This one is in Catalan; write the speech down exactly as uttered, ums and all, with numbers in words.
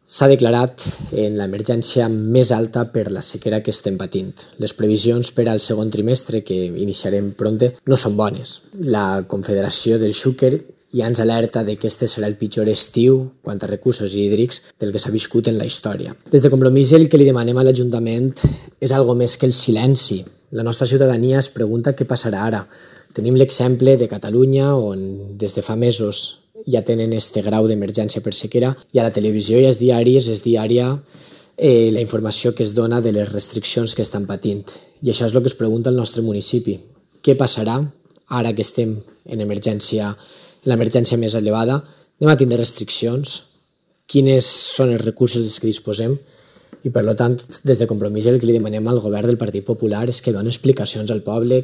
S'ha declarat en l'emergència més alta per la sequera que estem patint. Les previsions per al segon trimestre, que iniciarem prompte, no són bones. La Confederació del Xúquer ja ens alerta de que este serà el pitjor estiu quant a recursos hídrics del que s'ha viscut en la història. Des de Compromís el que li demanem a l'Ajuntament és algo més que el silenci. La nostra ciutadania es pregunta què passarà ara. Tenim l'exemple de Catalunya, on des de fa mesos ja tenen este grau d'emergència per sequera, i a la televisió i als diaris és diària eh, la informació que es dona de les restriccions que estan patint. I això és el que es pregunta el nostre municipi. Què passarà ara que estem en emergència, en l'emergència més elevada? Anem a tindre restriccions? Quins són els recursos dels que disposem? I per tant, des de Compromís el que li demanem al govern del Partit Popular és que doni explicacions al poble,